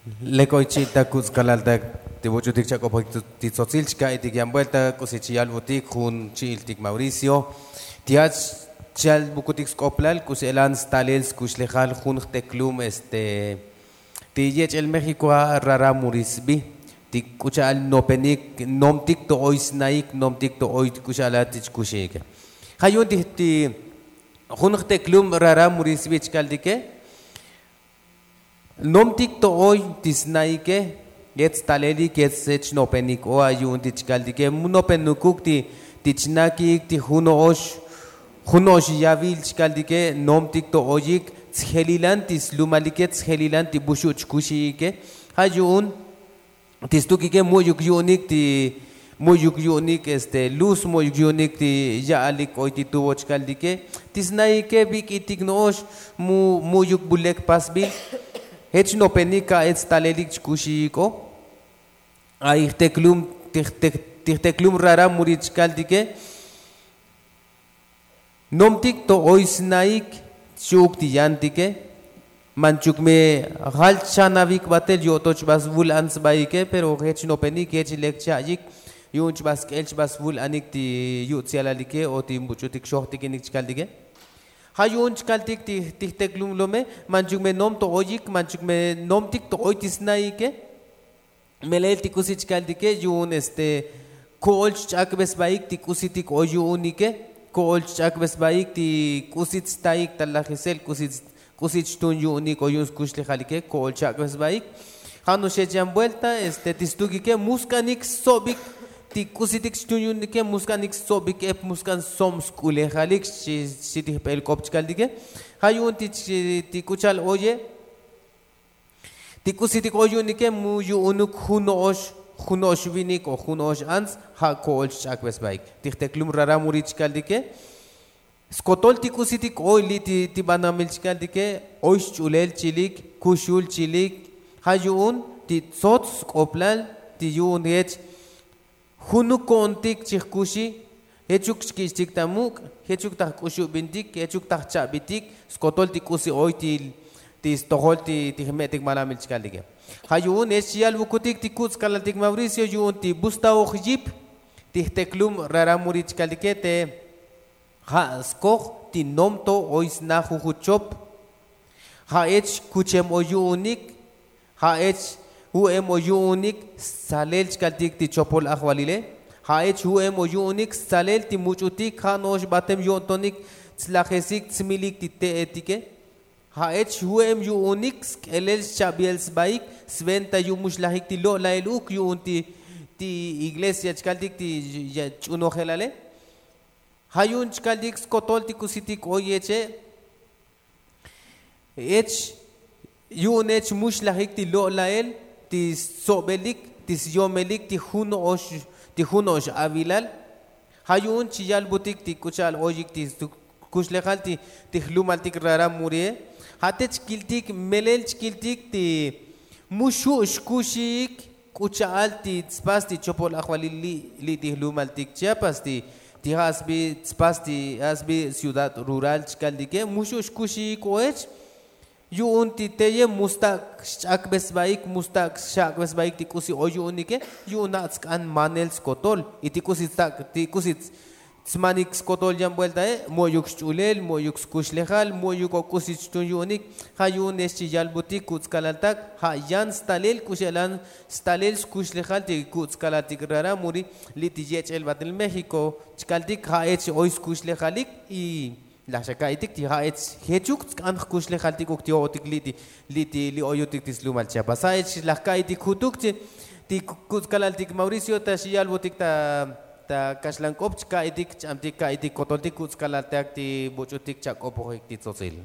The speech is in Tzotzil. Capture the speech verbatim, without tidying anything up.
Lek oy chi'il ta kuts' kalaltak ti buch'utik chak'opojik ti tzotzil chka'itik yan buelta k'usi chiyalbutik jun chi'iltik mauricio. Ti ach chiyalbukutik sk'oplal k'usi elan stalel skuxlejal jun jteklum este ti yech'el méxiko ja' rara murisbi ti k'u cha'al nopenik nomtik to'oy snaik nomtik to'oy k'u cha'al ti chkuxiike. Ja' yu'un ti jun jteklum rara murisbi chkaltike nomtik to'oy ti snaike. Yech stalelik yech chnopenik o a yu'un ti chkaltike mu nopenukuk ti chnakik ti jun no'ox jun no'ox yavil chkaltike nomtik to'oyik tsjelilan ti slumalike tsjelilan ti buxu' chkuxiike. Ja' yu'un ti stukike mu'yuk yu'unik ti mu'yuk yu'unik este luz mu'yuk yu'unik ti ya'alik oy ti tubo chkaltike ti snaike bik'itik no'ox mu'yuk bulek pasbil. Jech nopenik ka'ech stalelik chkuxiik o ay jteklum ti jteklum rara muri chkaltike nomtik to'oy snaik xchi'uk ti yantike. Manchuk me jal chanavik batel yo'to chba svul an sbaike pero jech nopenik jech lek cha'yik yu'un chba sk'el chba svul anik ti yu'tz yalalike o ti buch'utik xojtikinik chkaltike. Ja' yu'un chkaltik ti jteklum lome manchuk me nom to'oyik manchuk me nomtik to'oy ti snaike. Melel ti k'usi chkaltike yu'un este ko'ol chch'akbe sbaik ti k'usitik oy yu'unike ko'ol chch'akbe sbaik ti k'usi tstaik ta lajisel k'usi chtun yu'unik oy yu'un skuxlejalike ko'ol chch'akbe sbaik. Ja' no'ox yech yan buelta este ti stukike mu sk'anik stsobik ti k'usitik chtun yu'unike mu sk'anik stsobik ep mu sk'an stsob sk'ulejalik xchi ti jbel k'op chkaltike. Ja' yu'un ti k'u cha'al oye ti k'usitik oy yu'unike mu yu'unuk jun no'ox jun no'ox vinik o jun no'ox ants ja' ko'ol chch'akbe sbaik ti jteklum rara muri chkaltike. Skotol ti k'usitik oy li' ti banamil chkaltike oy xch'ulel chilik kuxul chilik. Ja' yu'un ti tsots sk'oplal ti yu'un jech junuk ko'ontik chijkuxi jechuk chkich'tik ta muk' jechuk ta jk'uxubintik jechuk ta jcha'bitik skotol ti k'usi oy ti stojol ti jme'tik malamil chkaltike. Ja' yu'un jech chiyalbukutik ti kuts' kalaltik mauricio yu'un ti bustaoj yip ti jteklum rara muri chkaltike te ja' skoj ti nomto oy sna jujut chop. Ja' jech kuchem oy yu'unik ja' jech ju'em oy yu'unik stsalel chkaltik ti chopol ajvalile. Ja' jech ju'em oy yu'unik stsalel ti much'utik ja' no'ox batem yo'ntonik tslajesik tsmilik ti te'etike. Ja' jech ju'em yu'unik sk'elel xcha'biel sbaik sventa yu'un mu xlajik ti lo'lael uk yu'un ti iglesia chkaltik ti ch'unojelale. Ja' yu'un chkaltik skotol ti k'usitik oy jeche' jech yu'un jech mu xlajik ti lo'lael ti stsobelik ti syomelik ti jun no'ox avilal. Ja' yu'un chiyalbutik ti k'u cha'al oyik ti kuxlejal ti jlumaltik rara murie. Ja' te chkiltik melel chkiltik ti mu xu' xkuxiik k'u cha'al ti tspas ti chopol ajvalil li' ti jlumaltik chiapas ti ja' sbi tspas ti ja' sbi ciudad rural chkaltike mu xu' xkuxiik o jech yu'un ti teye mu stak' xch'akbe sbaik mu stak' xcha'kbe sbaik ti k'usi oy yu'unike. Yu'un ja' tsk'an manel skotol y ti k'usi tstak' ti k'usi tsmanik skotol yan bueltae' mo'yuk xch'ulel mo'yuk skuxlejal mo'yuk o k'usi chtun yu'unik. Ja' yu'un jech chiyalbutik kuts' kalaltak ja' yan stalel k'u xe'lan stalel skuxlejal ti kuts' kalaltik rara muri li' ti yech'el batel méxiko chkaltik ja' jech oy skuxlejalik y laj xa ka'itik ti ja' jech jechuk tsk'an jkuxlejaltik uk ti o'otik li' ti li' oyotik ti slumal chiapas ja' jech laj ka'itik jutuk ti kuts' kalaltik mauricio ta xiyalbutik ta kaxlan k'op chka'itik ch'amtik ka'itik kotoltik kuts' kalaltak ti buch'utik chak'opojik ti tzotzil.